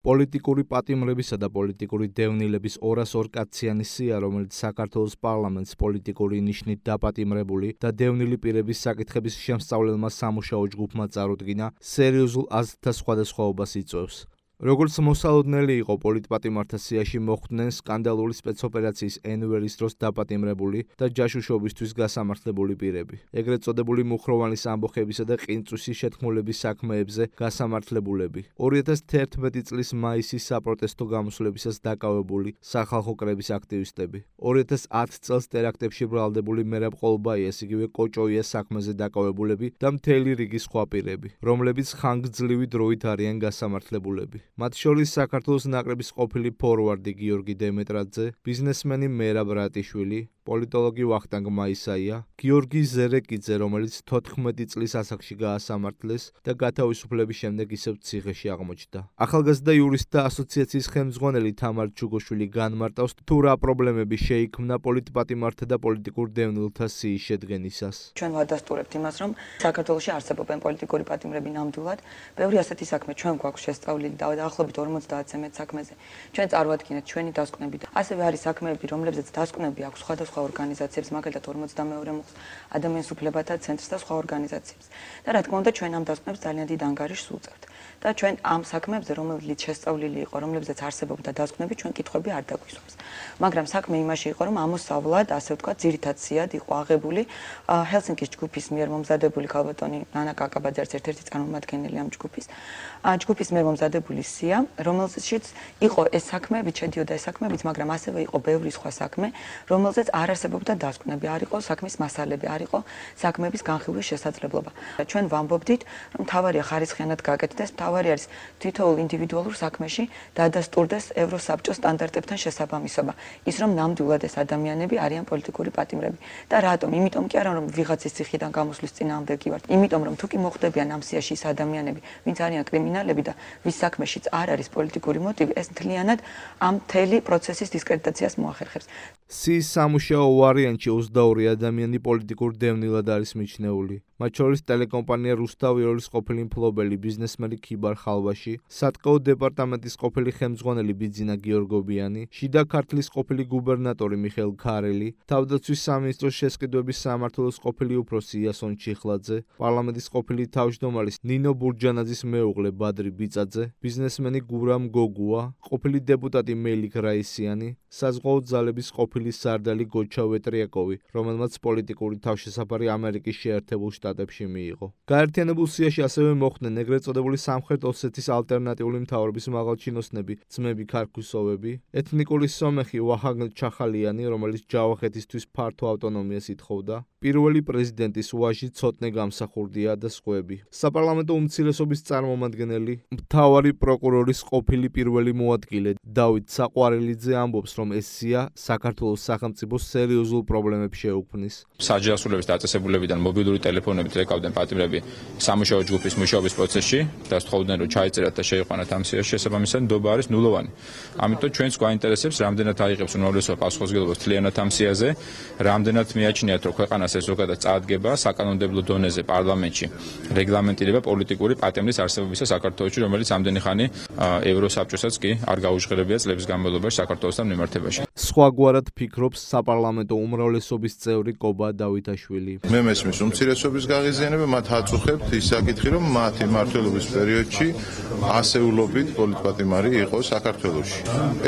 პოლიტიკური პატიმრებისა და პოლიტიკური დევნილების 202 კაციანი სია, რომელიც საქართველოს პარლამენტს პოლიტიკური ნიშნით დაპატიმრებული და დევნილი პირების საკითხების შემსწავლელმა სამუშაო ჯგუფმა წარუდგინა, სერიოზულ აზრთა სხვადასხვაობას იწვევს. როგორც მოსალოდნელი იყო პოლიტპატიმართა სიაში მოხვდნენ სკანდალური სპეცოპერაციის ენვერის დროს დაპატიმრებული და ჯაშუშობისთვის გასამართლებული პირები. ეგრეთ წოდებული მუხროვანის ამბოხებისა და ყინწვისის შეთქმულების საქმეებზე გასამართლებულები. 2011 წლის მაისის საპროტესტო გამოსვლებისას დაკავებული სახალხო კრების აქტივისტები. 2010 წელს ტერაქტებში ბრალდებული მერაბ ყოლბაიას, იგივე კოჭოიას საქმეზე დაკავებულები და მთელი რიგი სხვა პირები, რომლებიც ხანგრძლივი დროით არიან გასამართლებულები. მათ შორის საქართველოს ნაკრების ყოფილი ფორვარდი გიორგი დემეტრაძე, ბიზნესმენი მერაბ რატიშვილი, პოლიტოლოგი ვახტანგ მაისაია, გიორგი ზერეკიძე, რომელიც 14 წლის ასაკში გაასამართლეს და გათავისუფლების შემდეგ ისევ ციხეში აღმოჩნდა. ახალგაზრდა იურისტთა ასოციაციის ხელმძღვანელი თამარ ჩუგოშვილი განმარტავს, თუ რა პრობლემები შეიქმნა პოლიტპატიმართა და პოლიტიკურ დევნილთა სიის შედგენისას. ჩვენ ვადასტურებთ იმას, რომ საქართველოში არსებობენ პოლიტიკური პატიმრები ნამდვილად. ბევრი ასეთი საქმე ჩვენ გვაქვს შესწავლილი და დაახლოებით 50-ზე მეტ საქმეზე. ჩვენ წარვადგინეთ ჩვენი დასკვნები და ასევე არის საქმეები, რომლებზეც დასკვნები აქვს სხვადასხვა ორგანიზაციებს, მაგალითად 42 მუხლს, ადამიანის უფლებათა ცენტრს და სხვა ორგანიზაციებს. და რა თქმა უნდა, ჩვენ ამ დასკვნებს ძალიან დიდ ანგარიშს ვუწევთ. და ჩვენ ამ საქმეებზე, რომელიც შესწავლილი იყო, რომლებზეც არსებობდა დასკვნები, ჩვენ კითხვები არ დაგვისვამს. მაგრამ საქმე იმაში იყო, რომ ამოსავლად, ასე ვთქვათ, ძირითად სიად იყო აღებული ჰელსინკის ჯგუფის მიერ მომზადებული ქალბატონი ნანა კაკაბაძე ერთ-ერთი წარმომადგენელი ამ ჯგუფის. ჯგუფის მიერ მომზადებული სია, რომელშიც იყო ეს საქმეები, შედიოდა ეს საქმეებიც, მაგრამ ასევე იყო ბევრი სხვა საქმე, რომელზეც არ არსებობდა დასკვნები, არ იყო საქმის მასალები, არ იყო საქმეების განხილვის შესაძლებლობა. ჩვენ ვამბობდით, რომ მთავარია ხარისხიანად გაკეთდეს, მთავარი არის თითოეულ ინდივიდუალურ საქმეში დადასტურდეს ევროსაბჭოს სტანდარტებთან შესაბამისობა. ის რომ ნამდვილად ეს ადამიანები არიან პოლიტიკური პატიმრები. და რატომ? იმიტომ კი არა, რომ ვიღაცის ციხიდან გამოსვლის წინააღმდეგი ვართ. იმიტომ რომ თუ კი მოხდებიან ამ სიაში ის ადამიანები, ვინც არიან კრიმინალები და ვის საქმეშიც არ არის პოლიტიკური მოტივი, ეს მთლიანად ამ მთელი პროცესის დისკრედიტაციას მოახერხებს. სიის სამუშაო ვარიანტში 22 ადამიანი პოლიტიკურ დევნილად არის მიჩნეული. მათ შორის ტელეკომპანია რუსთავი-ოლის ყოფილი მფლობელი ბიზნესმენი ქიბარ ხალვაში, სატყეო დეპარტამენტის ყოფილი ხელმძღვანელი ბიძინა გიორგობიანი, შიდა ქართლის ყოფილი გუბერნატორი მიხეილ ქარელი, თავდაცვის სამინისტროს შესყიდვების სამმართველოს ყოფილი უფროსი იასონ ჩიხლაძე, პარლამენტის ყოფილი თავმჯდომარის ნინო ბურჯანაძის მეუღლე ბადრი ბიწაძე, ბიზნესმენი გურამ გოგუა, ყოფილი დეპუტატი მელიქ რაისიანი, საზღვაო ძალების ყოფილი სარდალი გოჩა ვეტრიაკოვი, რომელმაც პოლიტიკური თავშესაფარი ამერიკის შეერთებულ შტატებში მიიღო. გაერთიანებულ სიაში ასევე მოხვდნენ ეგრეთ წოდებული სამხრეთ ოსეთის ალტერნატიული მთავრობის მაღალჩინოსნები, ძმები ქარქუსოვები, ეთნიკური სომეხი ვაჰანგ ჩახალიანი, რომელიც ჯავახეთისთვის ფართო ავტონომიას ითხოვდა, პირველი პრეზიდენტის ვაჟი ცოტნე გამსახურდია და სხვები. საპარლამენტო უმცირესობის წარმომადგენელი, მთავარი პროკურორის ყოფილი პირველი მოადგილე დავით საყვარელიძე ამბობს, რომ ეს სია საქართველოს სახელმწიფოს სერიოზულ პრობლემებს შეუქმნის. საჯარისულების დაწესებულებიდან მობილური ტელეფონებით ეკავდნენ პატიმრები სამუშაო ჯგუფის მუშაობის პროცესში და სთხოვდნენ, რომ ჩაიწერათ და შეიყვანათ ამ სიაში. შესაბამისად, ნდობა არის ნულოვანი. ამიტომ ჩვენს გვაინტერესებს, რამდენად აიღებს უმრავლესობა პასუხისმგებლობას მთლიანად ამ სიაზე, რამდენად მიაჩნიათ, რომ ქვეყანას ეს ზოგადად წარადგება საკანონმდებლო დონეზე პარლამენტში რეგლამენტირება პოლიტიკური პატიმრის არსებობისა საქართველოში, რომელიც ამდენი ხანი ევროსაბჭოსაც კი არ გაუჟღერებია წლების განმავლობაში საქართველოსთან მიმართებაში. სხვაგვარად ფიქრობს საპარლამენტო უმრავლესობის წევრი კობა დავითაშვილი. მე მესმის უმცირესობის გაღიზიანება, მათ აწუხებთ ის საკითხი, რომ მათი მმართველობის პერიოდში ასეულობით პოლიტპატიმარი იყო საქართველოში.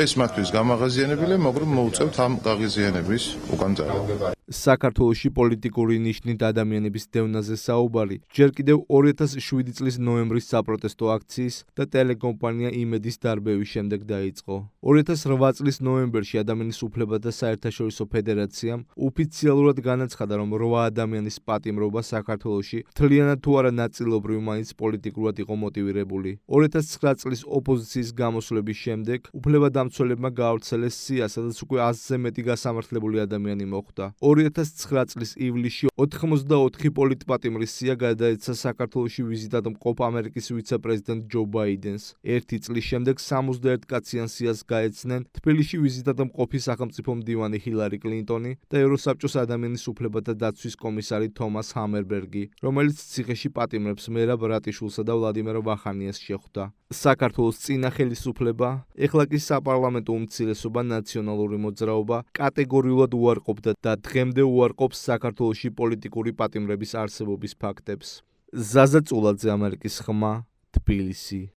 ეს მათთვის გამაღაზიანებელია, მაგრამ მოუწევთ ამ გაღიზიანების უკან წარება. საქართველოში პოლიტიკური ნიშნით ადამიანების დევნაზე საუბარი ჯერ კიდევ 2007 წლის ნოემბრის საპროტესტო აქციის და ტელეკომპანია იმედის დარბევის შემდეგ დაიწყო. 2008 წლის ნოემბერში ადამიანის უფლებათა საერთაშორისო ფედერაციამ ოფიციალურად განაცხადა, რომ 8 ადამიანის პატიმრობა საქართველოში მთლიანად თუ არა ნაწილობრივ მაინც პოლიტიკურად იყო მოტივირებული. 2009 წლის ოპოზიციის გამოსვლების შემდეგ უფლებადამცველებმა გაავრცელეს სია, სადაც უკვე 100-ზე მეტი გასამართლებული ადამიანი მოხვდა. 2009 წლის ივლისში 84 პოლიტპატიმრის სია გადაეცა საქართველოში ვიზიტად მყოფ ამერიკის ვიცე-პრეზიდენტ ჯო ბაიდენს. ერთი წლის შემდეგ 61 კაციან სიას გაეცნენ თბილისში ვიზიტად მყოფი სახელმწიფო მდივანი ჰილარი კლინტონი და ევროსაბჭოს ადამიანის უფლებათა დაცვის კომისარი თომას ჰამერბერგი, რომელიც ციხეში პატიმრებს მერაბ რატიშვილსა და ვლადიმერ ვახანიას შეხვდა. საქართველოს წინა ხელისუფლება, ეხლა კი საპარლამენტო უმცირესობა ნაციონალური მოძრაობა კატეგორიულად უარყოფდა და დღემდე უარყოფს საქართველოში პოლიტიკური პატიმრების არსებობის ფაქტებს. ზაზა წულაძე, ამერიკის ხმა, თბილისი.